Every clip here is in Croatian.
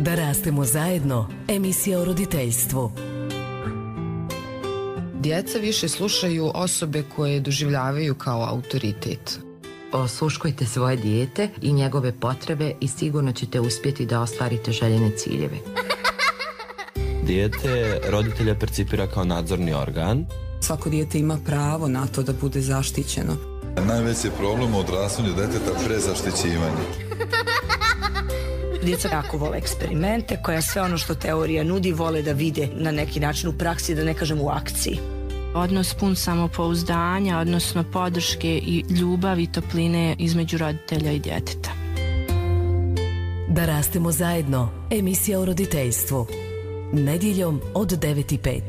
Da rastemo zajedno, emisija o roditeljstvu. Djeca više slušaju osobe koje doživljavaju kao autoritet. Osluškujte svoje dijete i njegove potrebe i sigurno ćete uspjeti da ostvarite željene ciljeve. Dijete roditelja percipira kao nadzorni organ. Svako dijete ima pravo na to da bude zaštićeno. Najveći je problem u odrastanju djeteta prezaštićivanje. Djeca jako vole eksperimente, koja sve ono što teorija nudi vole da vide na neki način u praksi, da ne kažem u akciji. Odnos pun samopouzdanja, odnosno podrške i ljubavi i topline između roditelja i djeteta. Da rastemo zajedno, emisija o roditeljstvu. Nedjeljom od 9:05.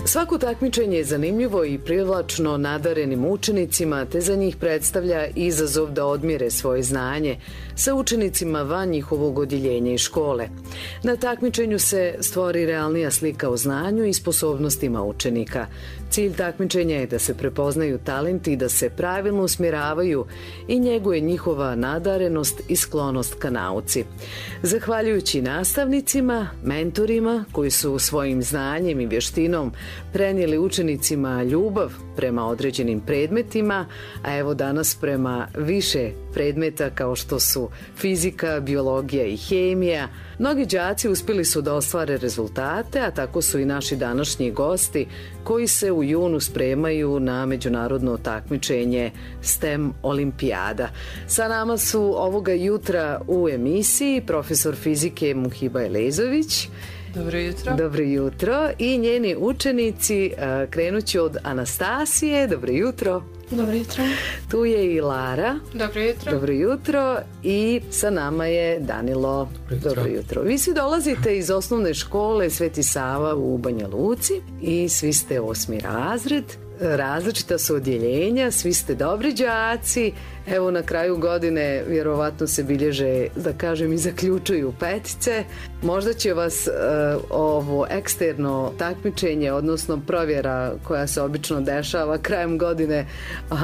Svako takmičenje je zanimljivo i privlačno nadarenim učenicima, te za njih predstavlja izazov da odmjere svoje znanje sa učenicima van njihovog odjeljenja i škole. Na takmičenju se stvori realnija slika o znanju i sposobnostima učenika. Cilj takmičenja je da se prepoznaju talenti i da se pravilno usmjeravaju i njeguje njihova nadarenost i sklonost ka nauci. Zahvaljujući nastavnicima, mentorima koji su svojim znanjem i vještinom prenijeli učenicima ljubav prema određenim predmetima, a evo danas prema više predmeta kao što su fizika, biologija i hemija, mnogi đaci uspjeli su da ostvare rezultate, a tako su i naši današnji gosti koji se u junu spremaju na međunarodno takmičenje STEM olimpijada. Sa nama su ovoga jutra u emisiji profesor fizike Muhiba Elezović. Dobro jutro. Dobro jutro. I njeni učenici, krenući od Anastasije. Dobro jutro. Dobro jutro. Tu je i Lara. Dobro jutro. Dobro jutro. I sa nama je Danilo. Dobro jutro. Vi svi dolazite iz osnovne škole Sveti Sava u Banja Luci i svi ste 8. razred. Različita su odjeljenja, svi ste dobri đaci. Evo na kraju godine vjerovatno se bilježe, da kažem, i zaključuju petice. Možda će vas ovo eksterno takmičenje, odnosno provjera koja se obično dešava krajem godine,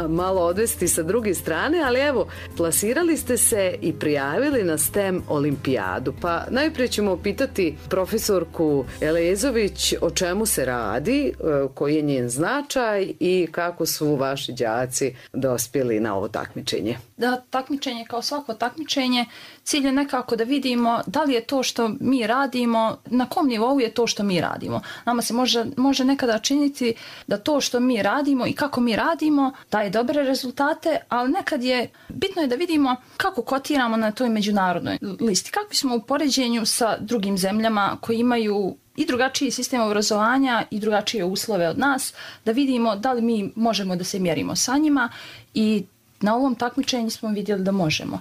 malo odvesti sa druge strane, ali evo, plasirali ste se i prijavili na STEM olimpijadu. Pa najprije ćemo pitati profesorku Elezović o čemu se radi, koji je njen značaj i kako su vaši đaci dospjeli na ovo takmičenje. Da, takmičenje kao svako takmičenje, cilj je nekako da vidimo da li je to što mi radimo, na kom nivou je to što mi radimo. Nama se može nekada činiti da to što mi radimo i kako mi radimo daje dobre rezultate, ali nekad je bitno je da vidimo kako kotiramo na toj međunarodnoj listi. Kakvi smo u poređenju sa drugim zemljama koji imaju i drugačiji sistem obrazovanja i drugačije uslove od nas, da vidimo da li mi možemo da se mjerimo sa njima i na ovom takmičenju smo vidjeli da možemo.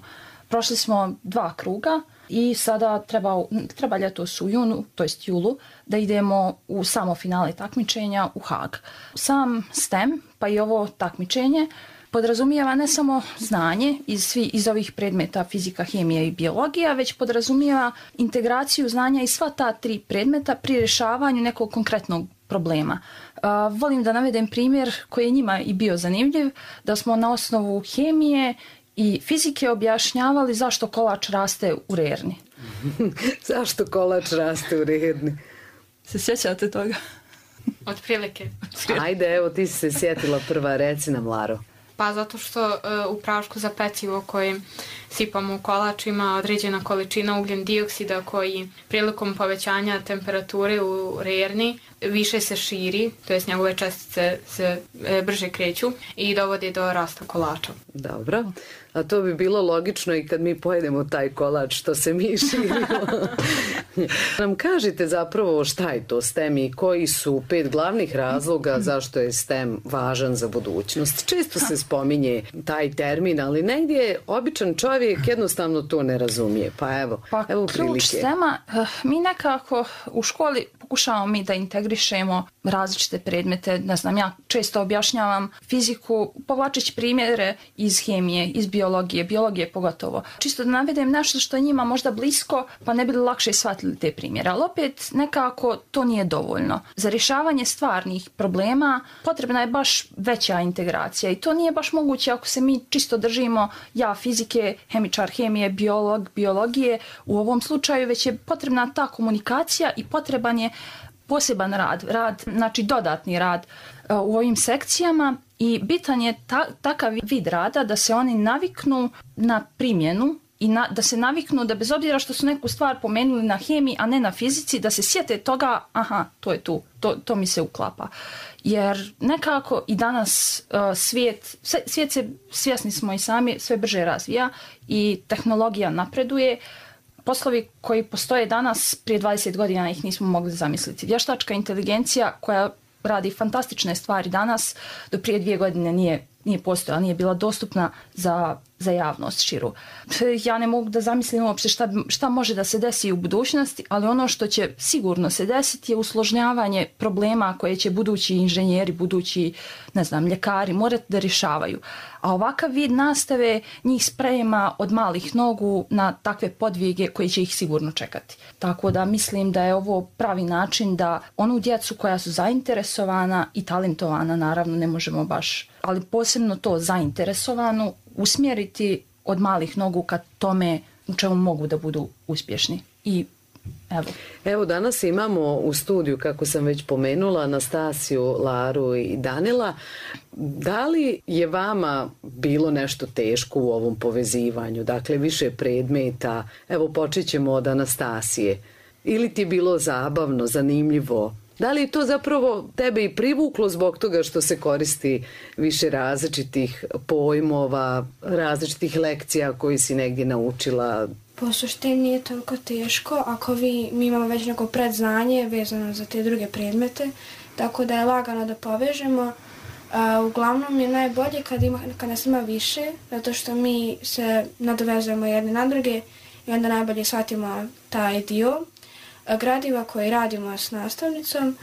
Prošli smo 2 kruga i sada treba ljetos u junu, to jest julu, da idemo u samo finale takmičenja u Haag. Sam STEM, pa i ovo takmičenje, podrazumijeva ne samo znanje iz ovih predmeta fizika, hemija i biologija, već podrazumijeva integraciju znanja iz sva ta 3 predmeta pri rješavanju nekog konkretnog problema. Volim da navedem primjer koji je njima i bio zanimljiv, da smo na osnovu hemije i fizike objašnjavali zašto kolač raste u rerni. Zašto kolač raste u rerni? Se sjećate toga? Otprilike. Ajde, evo ti si se sjetila prva, reci nam, Laro. Pa zato što u prašku za pecivo koje sipamo u kolač ima određena količina ugljen dioksida koji prilikom povećanja temperature u rerni više se širi, to jest njegove čestice se brže kreću i dovodi do rasta kolača. Dobro, a to bi bilo logično i kad mi pojedemo taj kolač što se mi širimo. Nam kažite zapravo šta je to STEM i koji su 5 glavnih razloga zašto je STEM važan za budućnost. Često se spominje taj termin, ali negdje običan čovjek jednostavno to ne razumije. Pa evo prilike. Ključ STEM-a, mi nekako u školi pokušavamo mi da integrišemo različite predmete. Ne znam, ja često objašnjavam fiziku povlačeći primjere iz hemije, iz biologije pogotovo. Čisto da navedem nešto što je njima možda blisko, pa ne bi lakše shvatili te primjere. Ali opet nekako to nije dovoljno. Za rješavanje stvarnih problema potrebna je baš veća integracija i to nije baš moguće ako se mi čisto držimo ja fizike, hemičar hemije, biolog, biologije. U ovom slučaju već je potrebna ta komunikacija i potreban je poseban rad, znači dodatni rad u ovim sekcijama i bitan je takav vid rada da se oni naviknu na primjenu i da se naviknu da bez obzira što su neku stvar pomenuli na hemiji, a ne na fizici, da se sjete toga, aha, to je tu, to mi se uklapa. Jer nekako i danas svijet se, svjesni smo i sami, sve brže razvija i tehnologija napreduje. Poslovi koji postoje danas, prije 20 godina ih nismo mogli zamisliti. Vještačka inteligencija koja radi fantastične stvari danas, do prije 2 godine nije postojala, nije bila dostupna za javnost širu. Ja ne mogu da zamislim uopće šta može da se desi u budućnosti, ali ono što će sigurno se desiti je usložnjavanje problema koje će budući inženjeri, budući, ne znam, ljekari morati da rješavaju. A ovakav vid nastave njih sprema od malih nogu na takve podvige koji će ih sigurno čekati. Tako da mislim da je ovo pravi način da onu djecu koja su zainteresovana i talentovana, naravno ne možemo baš, ali posebno to zainteresovanu, usmjeriti od malih nogu ka tome u čemu mogu da budu uspješni. I evo danas imamo u studiju, kako sam već pomenula, Anastasiju, Laru i Danila. Da li je vama bilo nešto teško u ovom povezivanju? Dakle, više predmeta. Evo, počet ćemo od Anastasije. Ili ti je bilo zabavno, zanimljivo? Da li je to zapravo tebe i privuklo zbog toga što se koristi više različitih pojmova, različitih lekcija koji si negdje naučila? Po suštini nije toliko teško ako mi imamo već neko predznanje vezano za te druge predmete, tako da je lagano da povežemo. Uglavnom je najbolje kad nas ima više, zato što mi se nadovezujemo jedne na druge i onda najbolje shvatimo taj dio gradiva koje radimo s nastavnicom,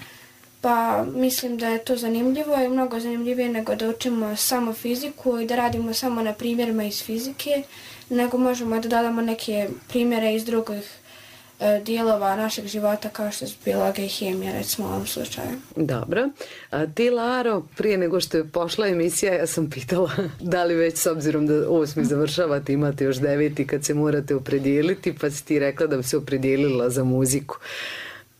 pa mislim da je to zanimljivo i mnogo zanimljivije nego da učimo samo fiziku i da radimo samo na primjerima iz fizike, nego možemo da dodamo neke primjere iz drugih dijelova našeg života kao što je biologija i hemija, recimo u ovom slučaju. Dobro. A ti, Laro, prije nego što je pošla emisija, ja sam pitala da li već s obzirom da 8. završavate, imate još 9. kad se morate opredijeliti, pa si ti rekla da bi se opredijelila za muziku.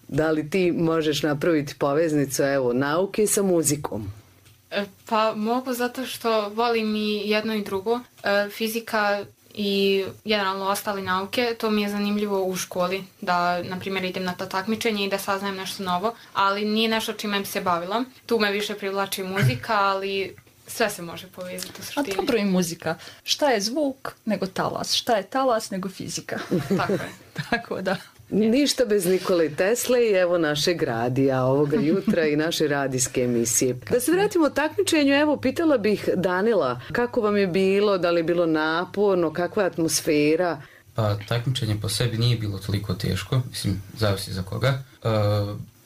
Da li ti možeš napraviti poveznicu, evo, nauke sa muzikom? Pa mogu, zato što volim i jedno i drugo. Fizika i generalno ostale nauke, to mi je zanimljivo u školi, da, na primjer, idem na to takmičenje i da saznajem nešto novo, ali nije nešto čime bi se bavila. Tu me više privlači muzika, ali sve se može povezati u suštini. A dobro i muzika. Šta je zvuk nego talas? Šta je talas nego fizika? Tako je. Tako da. Ništa bez Nikole Tesle i evo našeg radija ovoga jutra i naše radijske emisije. Da se vratimo takmičenju, evo pitala bih Danila, kako vam je bilo, da li je bilo naporno, kakva je atmosfera? Pa takmičenje po sebi nije bilo toliko teško, mislim, zavisi za koga.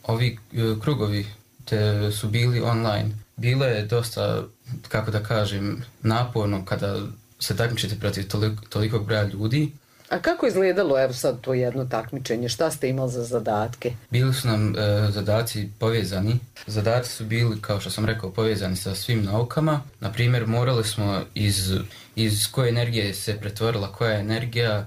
Ovi krugovi te su bili online. Bilo je dosta, kako da kažem, naporno kada se takmičite protiv tolikog broja ljudi. A kako je izgledalo, evo sad, to jedno takmičenje? Šta ste imali za zadatke? Bili su nam zadaci povezani. Zadaci su bili, kao što sam rekao, povezani sa svim naukama. Na primjer, morali smo iz koje energije se pretvorila koja energija,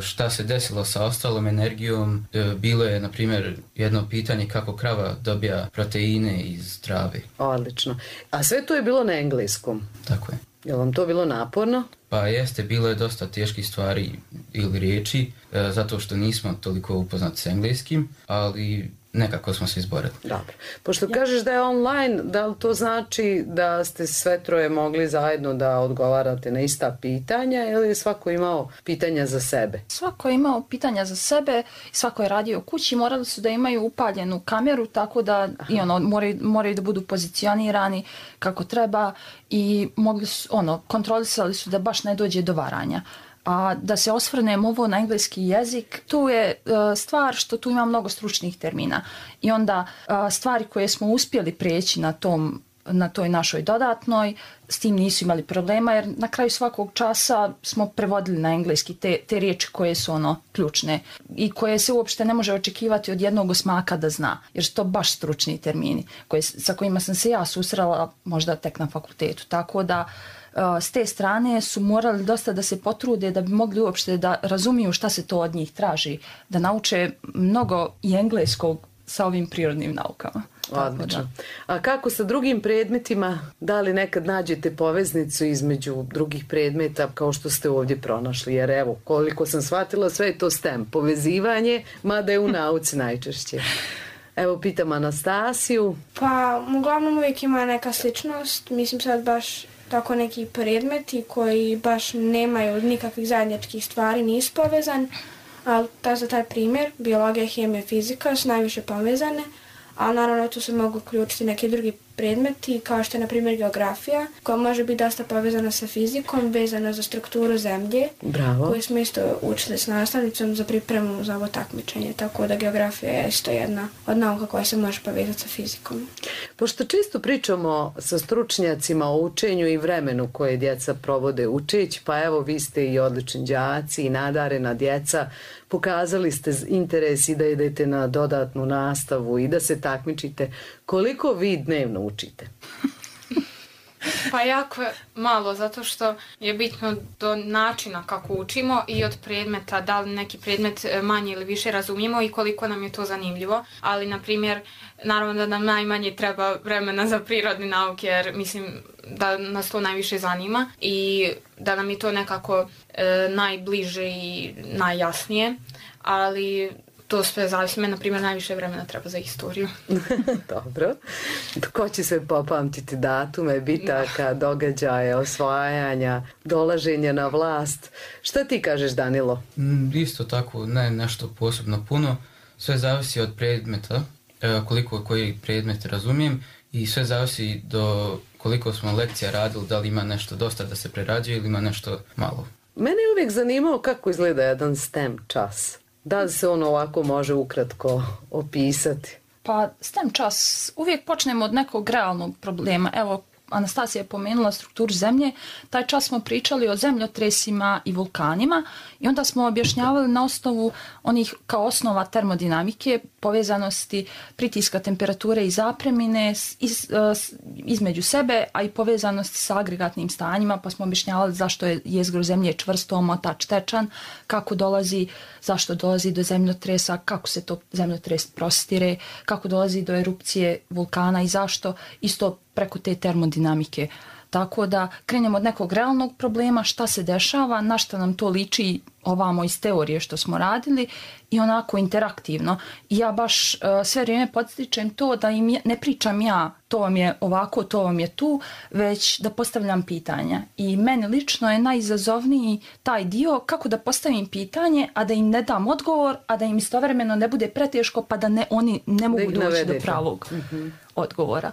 šta se desilo sa ostalom energijom. Bilo je, na primjer, jedno pitanje kako krava dobija proteine iz trave. Odlično. A sve to je bilo na engleskom? Tako je. Je li vam to bilo naporno? Pa jeste, bilo je dosta teških stvari ili riječi, zato što nismo toliko upoznati s engleskim, ali nekako smo se izborili. Dobro. Pošto kažeš da je online, da li to znači da ste sve troje mogli zajedno da odgovarate na ista pitanja ili je svako imao pitanja za sebe? Svako je imao pitanja za sebe, svako je radio u kući, morali su da imaju upaljenu kameru, tako da i moraju da budu pozicionirani kako treba i mogli su, kontrolisali su da baš ne dođe do varanja. A da se osvrnem ovo na engleski jezik, tu je stvar što tu ima mnogo stručnih termina. I onda stvari koje smo uspjeli prijeći na toj našoj dodatnoj, s tim nisu imali problema, jer na kraju svakog časa smo prevodili na engleski te riječi koje su ključne i koje se uopšte ne može očekivati od jednog osmaka da zna, jer su to baš stručni termini sa kojima sam se ja susrela možda tek na fakultetu. Tako da s te strane su morali dosta da se potrude da bi mogli uopšte da razumiju šta se to od njih traži, da nauče mnogo i engleskog sa ovim prirodnim naukama. Odlično. A kako sa drugim predmetima? Da li nekad nađete poveznicu između drugih predmeta kao što ste ovdje pronašli? Jer evo, koliko sam shvatila, sve je to STEM, povezivanje, mada je u nauci najčešće. Evo, pitam Anastasiju. Pa, uglavnom uvijek ima neka sličnost. Mislim sad baš tako neki predmeti koji baš nemaju nikakvih zajedničkih stvari, nisu povezani. Ali za taj primjer, biologija, hemija, fizika su najviše povezane, a naravno tu se mogu uključiti neki drugi predmeti, kao što je na primjer geografija, koja može biti dosta povezana sa fizikom, vezana za strukturu zemlje, koju smo isto učili s nastavnicom za pripremu za ovo takmičenje, tako da geografija je isto jedna od nauka koja se može povezati sa fizikom. Pošto često pričamo sa stručnjacima o učenju i vremenu koje djeca provode učeći, pa evo vi ste i odlični đaci i nadarena djeca, pokazali ste interes i da idete na dodatnu nastavu i da se takmičite. Koliko vi dnevno učite? Pa jako malo, zato što je bitno do načina kako učimo i od predmeta, da li neki predmet manje ili više razumijemo i koliko nam je to zanimljivo. Ali, na primjer, naravno da nam najmanje treba vremena za prirodne nauke, jer mislim da nas to najviše zanima i da nam je to nekako najbliže i najjasnije, ali to sve zavisi. Na primjer, najviše vremena treba za istoriju. Dobro. Ko će sve popamtiti datume, bitaka, događaje, osvajanja, dolaženja na vlast? Šta ti kažeš, Danilo? Isto tako, ne nešto posebno puno. Sve zavisi od predmeta, koliko koji predmet razumijem i sve zavisi do koliko smo lekcija radili, da li ima nešto dosta da se prerađuje ili ima nešto malo. Mene je uvijek zanimalo kako izgleda jedan STEM čas. Da li se on ovako može ukratko opisati? Pa STEM čas, uvijek počnemo od nekog realnog problema. Evo, Anastasija je pomenula strukturu zemlje. Taj čas smo pričali o zemljotresima i vulkanima i onda smo objašnjavali na osnovu onih kao osnova termodinamike, povezanosti pritiska, temperature i zapremine između sebe, a i povezanosti sa agregatnim stanjima, pa smo objašnjavali zašto je jezgro zemlje čvrsto, omotač, tečan, zašto dolazi do zemljotresa, kako se to zemljotres prostire, kako dolazi do erupcije vulkana i zašto, isto preko te termodinamike. Tako da krenemo od nekog realnog problema, šta se dešava, na šta nam to liči ovamo iz teorije što smo radili i onako interaktivno. I ja baš sve vrijeme podstičem to da im ne pričam ja to vam je ovako, to vam je tu, već da postavljam pitanja. I meni lično je najizazovniji taj dio kako da postavim pitanje, a da im ne dam odgovor, a da im istovremeno ne bude preteško pa da oni ne mogu doći do pravog odgovora.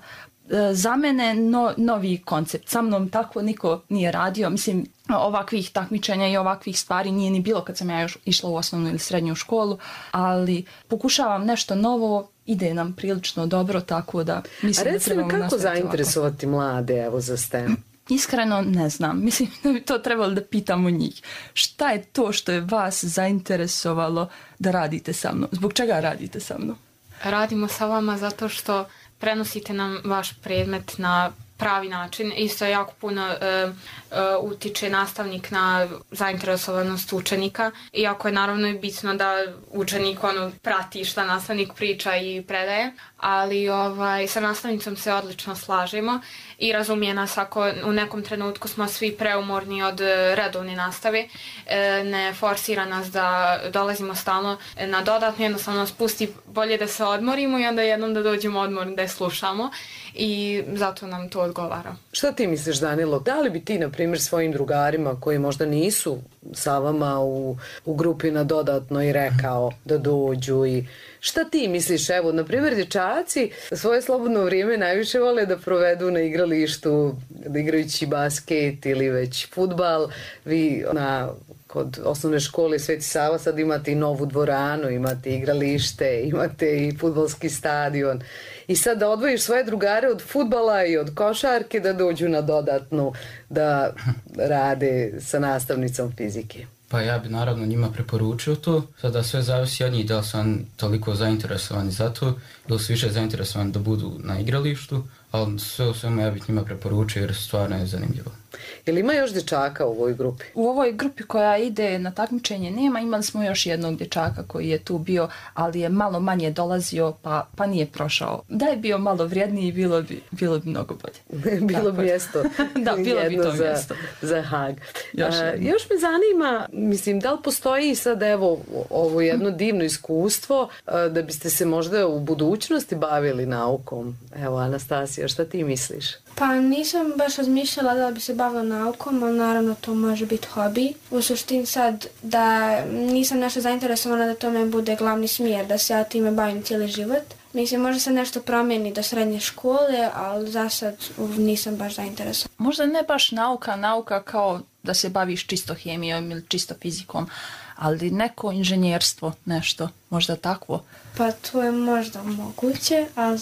Za mene novi koncept. Sa mnom tako niko nije radio. Mislim, ovakvih takmičenja i ovakvih stvari nije ni bilo kad sam ja još išla u osnovnu ili srednju školu, ali pokušavam nešto novo, ide nam prilično dobro, tako da mislim da trebamo nastaviti ovako. A recimo, kako zainteresovati mlade evo za STEM? Iskreno ne znam. Mislim da bi to trebalo da pitamo njih. Šta je to što je vas zainteresovalo da radite sa mnom? Zbog čega radite sa mnom? Radimo sa vama zato što prenosite nam vaš predmet na pravi način. Isto jako puno utiče nastavnik na zainteresovanost učenika. Iako je naravno i bitno da učenik prati šta nastavnik priča i predaje. Ali sa nastavnicom se odlično slažemo i razumije nas ako u nekom trenutku smo svi preumorni od redovne nastave. Ne forsira nas da dolazimo stalno na dodatno, jednostavno nas pusti bolje da se odmorimo i onda jednom da dođemo odmorni da je slušamo i zato nam to odgovara. Šta ti misliš, Danilo? Da li bi ti, na primjer, svojim drugarima koji možda nisu sa vama u grupi na dodatno i rekao da dođu i šta ti misliš? Evo, na primjer, dječaci svoje slobodno vrijeme najviše vole da provedu na igralištu, da igrajući basket ili već fudbal. Vi na kod osnovne škole Sveti Sava sad imate i novu dvoranu, imate igralište, imate i fudbalski stadion. I sad da odvojiš svoje drugare od fudbala i od košarke da dođu na dodatnu da rade sa nastavnicom fizike. Pa ja bi naravno njima preporučio to, sada sve zavisi od njih da li su oni toliko zainteresovani za to ili su više zainteresovani da budu na igralištu, ali sve u svemu ja bih njima preporučio jer stvarno je zanimljivo. Jel ima još dječaka u ovoj grupi? U ovoj grupi koja ide na takmičenje nema, imali smo još jednog dječaka koji je tu bio, ali je malo manje dolazio pa nije prošao. Da je bio malo vrijedniji bilo bi mnogo bolje. Bilo bi mjesto. Da, bilo bi to mjesto. Za Hag. Još me zanima, mislim, da li postoji sad evo ovo jedno divno iskustvo da biste se možda u budućnosti bavili naukom? Evo, Anastasija, šta ti misliš? Pa nisam baš razmišljala da bi se bavila naukom, ali naravno to može biti hobi. U suštini sad da nisam nešto zainteresovana da to me bude glavni smjer, da se ja time bavim cijeli život. Mislim, može se nešto promijeni do srednje škole, ali za sad nisam baš zainteresovana. Možda ne baš nauka kao da se baviš čisto hemijom ili čisto fizikom, ali neko inženjerstvo, nešto, možda takvo. Pa to je možda moguće, ali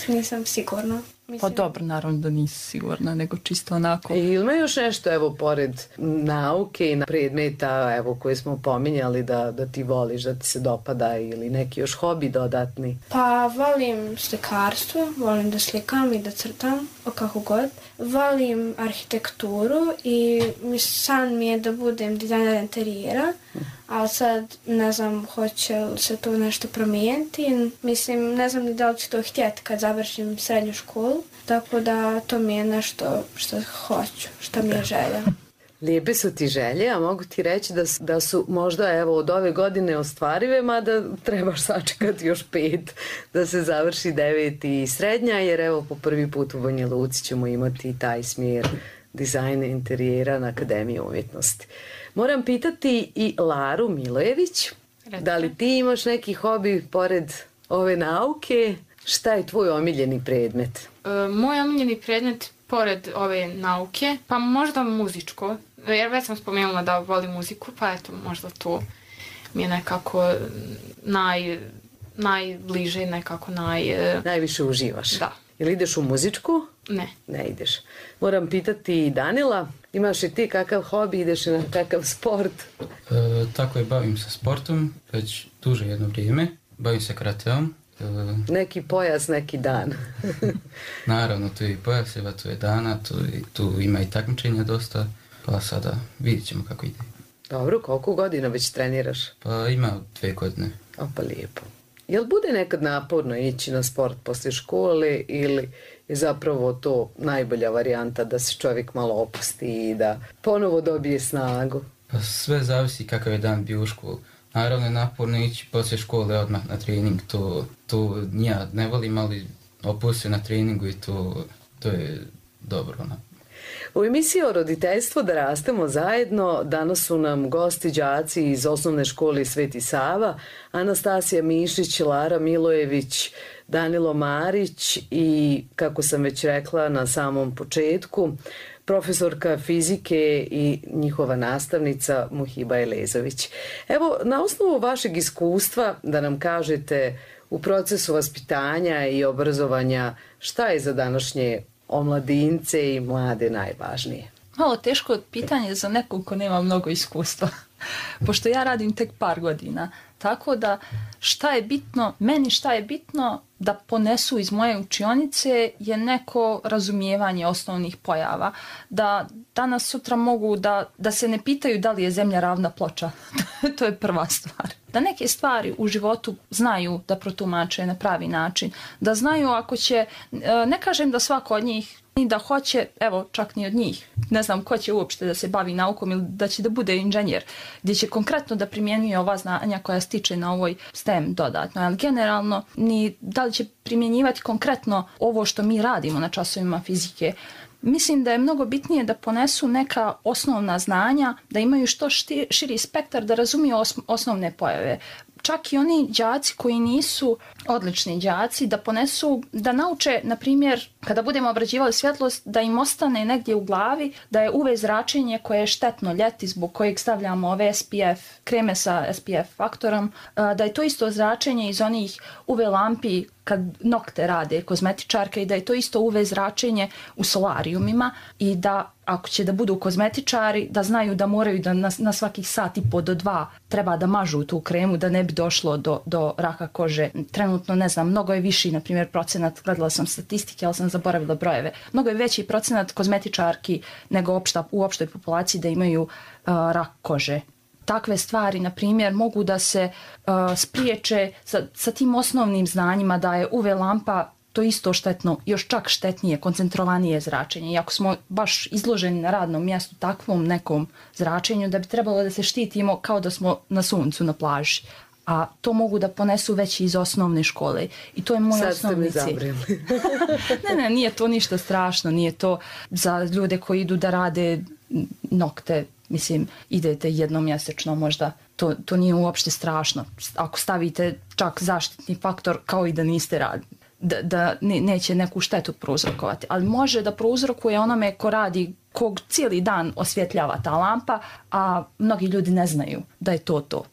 nisam sigurna. Pa dobro, naravno da nisi sigurna, nego čisto onako. Ima još nešto, evo, pored nauke i predmeta, evo, koje smo pominjali da ti voliš, da ti se dopada ili neki još hobi dodatni? Pa volim slikarstvo, volim da slikam i da crtam, kako god. Volim arhitekturu i san mi je da budem dizajner interijera, ali sad ne znam hoće li se to nešto promijeniti. Mislim, ne znam ni da li ću to htjeti kad završim srednju školu, tako da to mi je nešto što hoću, što mi je želja. Lijepe su ti želje, a mogu ti reći da su možda evo od ove godine ostvarive, mada trebaš sačekati još 5 da se završi 9 i srednja, jer evo po prvi put u Banja Luci ćemo imati taj smjer dizajna interijera na Akademiji umjetnosti. Moram pitati i Laru Milojević, da li ti imaš neki hobi pored ove nauke? Šta je tvoj omiljeni predmet? Moj omiljeni predmet pored ove nauke, pa možda muzičko, jer već sam spomenula da volim muziku, pa eto možda to mi je nekako najbliže, nekako najviše uživaš? Da. Jel ideš u muzičku? Ne. Ne ideš. Moram pitati Danila, imaš i ti kakav hobi, ideš na kakav sport? Tako je, bavim se sportom već duže jedno vrijeme, bavim se karateom. Neki pojas, neki dan. Naravno, tu je i pojaseva, tu je dana, tu ima i takmičenja dosta, pa sada vidit ćemo kako ide. Dobro, koliko godina već treniraš? Pa ima 2 godine. Pa lijepo. Jel bude nekad naporno ići na sport poslije škole ili je zapravo to najbolja varijanta da se čovjek malo opusti i da ponovo dobije snagu? Pa sve zavisi kakav je dan bio u školu. Naravno je naporno ići poslije škole odmah na trening, to ja ne volim, ali opusti na treningu i to je dobro. U emisiji o roditeljstvu Da rastemo zajedno danas su nam gosti đaci iz osnovne škole Sveti Sava, Anastasija Mišić, Lara Milojević, Danilo Marić i, kako sam već rekla na samom početku, profesorka fizike i njihova nastavnica Muhiba Elezović. Evo, na osnovu vašeg iskustva da nam kažete u procesu vaspitanja i obrazovanja šta je za današnje omladince i mlade najvažnije? Malo teško pitanje za nekog ko nema mnogo iskustva, pošto ja radim tek par godina. Tako da šta je bitno da ponesu iz moje učionice je neko razumijevanje osnovnih pojava. Da danas sutra mogu da se ne pitaju da li je zemlja ravna ploča. To je prva stvar. Da neke stvari u životu znaju da protumače na pravi način. Da znaju ako će, ne kažem da svako od njih ni da hoće, evo čak ni od njih. Ne znam ko će uopšte da se bavi naukom ili da će da bude inženjer, gdje će konkretno da primjenjuje ova znanja koja stiče na ovoj STEM dodatno. Ali generalno, ni da li će primjenjivati konkretno ovo što mi radimo na časovima fizike. Mislim da je mnogo bitnije da ponesu neka osnovna znanja, da imaju što širi spektar, da razumiju osnovne pojave. Čak i oni đaci koji nisu odlični đaci, da ponesu, da nauče, na primjer, kada budemo obrađivali svjetlost, da im ostane negdje u glavi da je UV zračenje koje je štetno ljeti, zbog kojeg stavljamo ove SPF, kreme sa SPF faktorom, da je to isto zračenje iz onih UV lampi kad nokte rade kozmetičarke i da je to isto UV zračenje u solarijumima i da ako će da budu kozmetičari, da znaju da moraju da na svakih sat i po do 2 treba da mažu tu kremu da ne bi došlo do raka kože. Trenutno, ne znam, mnogo je viši, na primjer, procenat, gledala sam statistike, ali sam zaboravila brojeve, mnogo je veći procenat kozmetičarki nego u opštoj populaciji da imaju rak kože. Takve stvari, na primjer, mogu da se spriječe sa tim osnovnim znanjima da je UV lampa to isto štetno, još čak štetnije, koncentrovanije zračenje. I ako smo baš izloženi na radnom mjestu takvom nekom zračenju, da bi trebalo da se štitimo kao da smo na suncu, na plaži. A to mogu da ponesu već iz osnovne škole. I to je moj osnovni cilj. Ne, nije to ništa strašno, nije to za ljude koji idu da rade nokte. Mislim, idete jednom mjesečno možda, to nije uopšte strašno. Ako stavite čak zaštitni faktor kao i da niste radili, da neće neku štetu prouzrokovati. Ali može da prouzrokuje onome ko radi, kog cijeli dan osvjetljava ta lampa, a mnogi ljudi ne znaju da je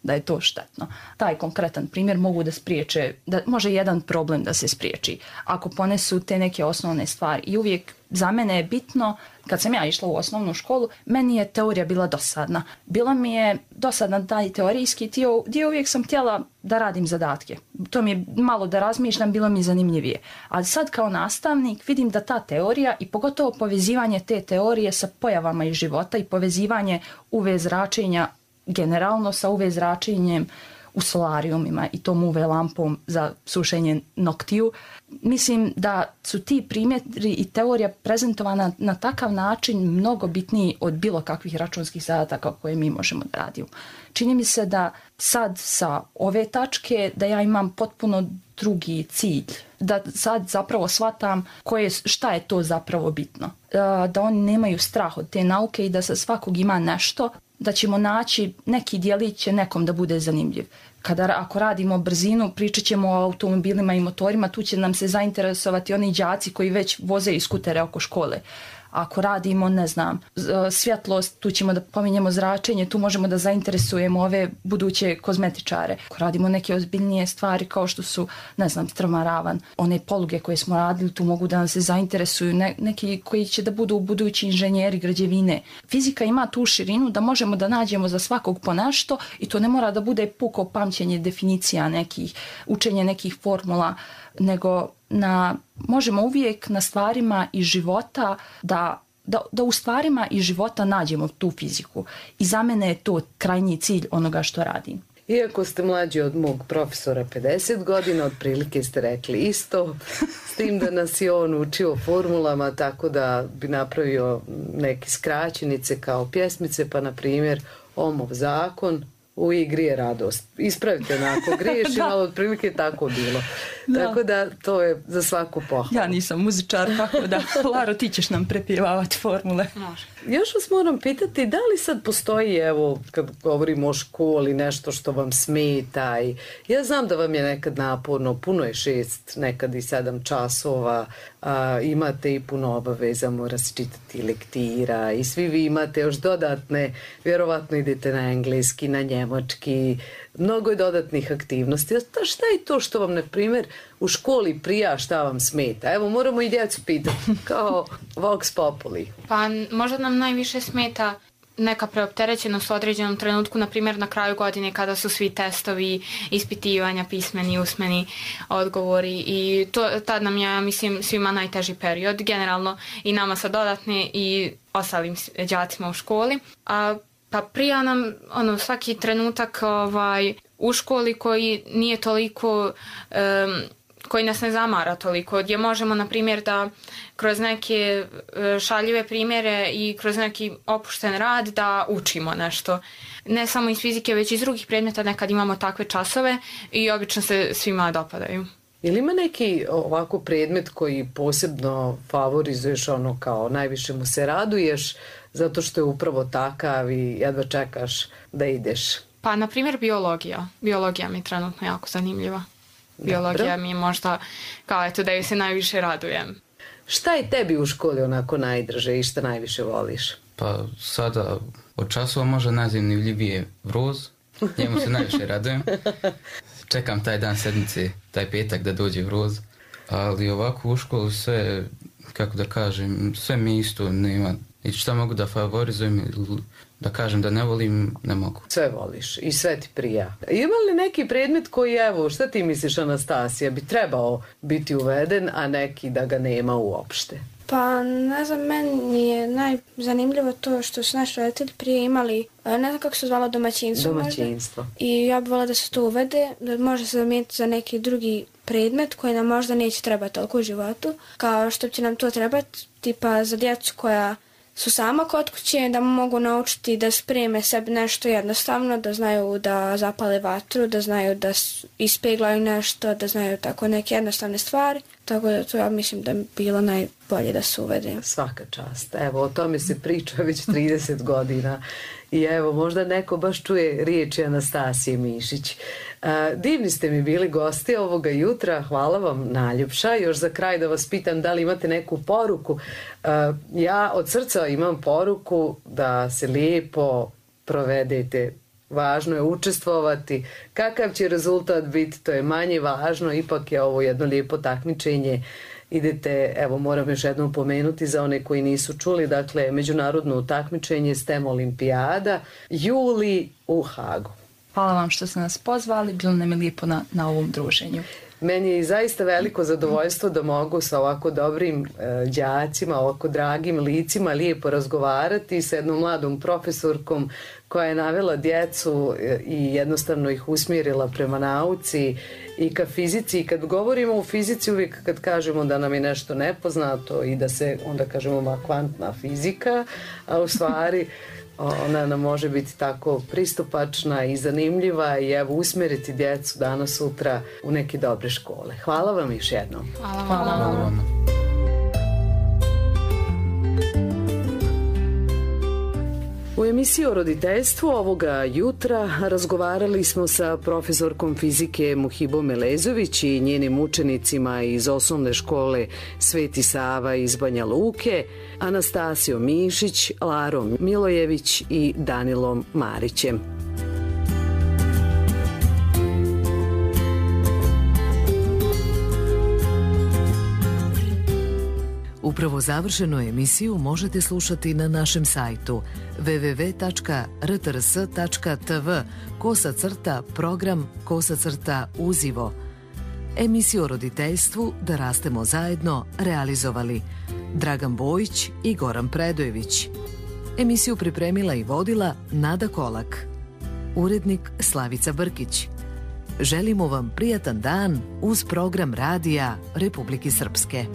da je to štetno. Taj konkretan primjer mogu da spriječe, da može jedan problem da se spriječi ako ponesu te neke osnovne stvari. I uvijek za mene je bitno, kad sam ja išla u osnovnu školu, meni je teorija bila dosadna. Bila mi je dosadna taj teorijski dio, uvijek sam htjela da radim zadatke. To mi je malo da razmišljam, bilo mi zanimljivije. Ali sad kao nastavnik vidim da ta teorija i pogotovo povezivanje te teorije sa pojavama iz života i povezivanje UV zračenja generalno sa UV zračenjem u solarijumima i tom UV lampom za sušenje noktiju. Mislim da su ti primjeri i teorija prezentovana na takav način mnogo bitniji od bilo kakvih računskih zadataka koje mi možemo da radimo. Čini mi se da sad sa ove tačke da ja imam potpuno drugi cilj. Da sad zapravo shvatam šta je to zapravo bitno. Da oni nemaju strah od te nauke i da sa svakog ima nešto, da ćemo naći neki djelić će nekom da bude zanimljiv. Ako radimo brzinu, pričat ćemo o automobilima i motorima, tu će nam se zainteresovati oni đaci koji već voze i skutere oko škole. Ako radimo, ne znam, svjetlost, tu ćemo da pominjemo zračenje, tu možemo da zainteresujemo ove buduće kozmetičare. Ako radimo neke ozbiljnije stvari kao što su, ne znam, strmaravan, one poluge koje smo radili, tu mogu da nam se zainteresuju neki koji će da budu budući inženjeri građevine. Fizika ima tu širinu da možemo da nađemo za svakog po nešto i to ne mora da bude puko pamćenje definicija nekih, učenje nekih formula, nego možemo uvijek na stvarima iz života da u stvarima iz života nađemo tu fiziku. I za mene je to krajnji cilj onoga što radim. Iako ste mlađi od mog profesora 50 godina, otprilike ste rekli isto, s tim da nas je on učio formulama, tako da bi napravio neke skraćenice kao pjesmice, pa na primjer Ohmov zakon, u igri je radost. Ispravite me ako griješim, ali otprilike tako bilo. Tako da to je za svaku pohvalu. Ja nisam muzičar, tako da, Laro, ti ćeš nam prepjevavati formule. Može. Još vas moram pitati, da li sad postoji, evo, kad govorimo o školi, nešto što vam smeta? Ja znam da vam je nekad naporno, puno je 6, nekad i 7 časova, imate i puno obaveza, mora se čitati lektira i svi vi imate još dodatne, vjerovatno idete na engleski, na njemački, mnogo je dodatnih aktivnosti. Šta je to što vam, na primjer, u školi prija, šta vam smeta? Evo, moramo i djecu pitati, kao Vox Populi. Pa možda nam najviše smeta neka preopterećenost u određenom trenutku, na primjer na kraju godine kada su svi testovi, ispitivanja, pismeni, usmeni odgovori i tad nam je, mislim, svima najteži period, generalno i nama sa dodatne i ostalim đacima u školi. Pa prija nam svaki trenutak u školi koji nije toliko, koji nas ne zamara toliko, gdje možemo, na primjer, da kroz neke šaljive primjere i kroz neki opušten rad da učimo nešto. Ne samo iz fizike, već iz drugih predmeta nekad imamo takve časove i obično se svima dopadaju. Ili ima neki ovako predmet koji posebno favorizuješ, kao najviše mu se raduješ, zato što je upravo takav i jedva čekaš da ideš? Pa, na primjer, biologija. Biologija mi je trenutno jako zanimljiva. Biologija mi je možda kao da ju se najviše radujem. Šta je tebi u školi onako najdraže i šta najviše voliš? Pa sada od časova možda najzanimljivije vroz, njemu se najviše radujem. Čekam taj dan sedmice, taj petak da dođe vroz, ali ovako u školu sve, kako da kažem, sve mi isto nema. I šta mogu da favorizujem, da kažem da ne volim, ne mogu. Sve voliš i sve ti prija. Ima li neki predmet koji, evo, šta ti misliš, Anastasija, bi trebao biti uveden, a neki da ga nema uopšte? Pa ne znam, meni je najzanimljivo to što su naši roditelji prije imali, ne znam kako se zvalo, domaćinstvo. I ja bih volila da se to uvede, da može se zamijeniti za neki drugi predmet koji nam možda neće trebati toliko u životu, kao što će nam to trebati, tipa za djecu koja su sama kod kuće, da mogu naučiti da spreme sebi nešto jednostavno, da znaju da zapale vatru, da znaju da ispeglaju nešto, da znaju tako neke jednostavne stvari. Tako da to ja mislim da bi bilo najbolje da se uvede. Svaka čast. Evo, o tome se priča već 30 godina. I evo, možda neko baš čuje riječi Anastasije Mišić. Divni ste mi bili gosti ovoga jutra. Hvala vam najljepša. Još za kraj da vas pitam da li imate neku poruku. Ja od srca imam poruku da se lijepo provedete. Važno je učestvovati. Kakav će rezultat biti, to je manje važno. Ipak je ovo jedno lijepo takmičenje. Idete, evo moram još jednom pomenuti za one koji nisu čuli, dakle međunarodno takmičenje STEM olimpijada, juli u Hagu. Hvala vam što ste nas pozvali, bilo nam je lijepo na ovom druženju. Meni je zaista veliko zadovoljstvo da mogu sa ovako dobrim đacima, ovako dragim licima lijepo razgovarati sa jednom mladom profesorkom koja je navela djecu i jednostavno ih usmjerila prema nauci i ka fizici. I kad govorimo o fizici, uvijek kad kažemo da nam je nešto nepoznato i da se onda kažemo kvantna fizika, a u stvari ona nam može biti tako pristupačna i zanimljiva i evo usmjeriti djecu danas sutra u neke dobre škole. Hvala vam još jednom. Hvala vam. U emisiji o roditeljstvu ovoga jutra razgovarali smo sa profesorkom fizike Muhibom Elezović i njenim učenicima iz osnovne škole Sveti Sava iz Banja Luke, Anastasijom Mišić, Larom Milojević i Danilom Marićem. Upravo završenu emisiju možete slušati na našem sajtu www.rtrs.tv/program/uzivo. Emisiju o roditeljstvu Da rastemo zajedno realizovali Dragan Bojić i Goran Predojević. Emisiju pripremila i vodila Nada Kolak. Urednik Slavica Brkić. Želimo vam prijatan dan uz program radija Republike Srpske.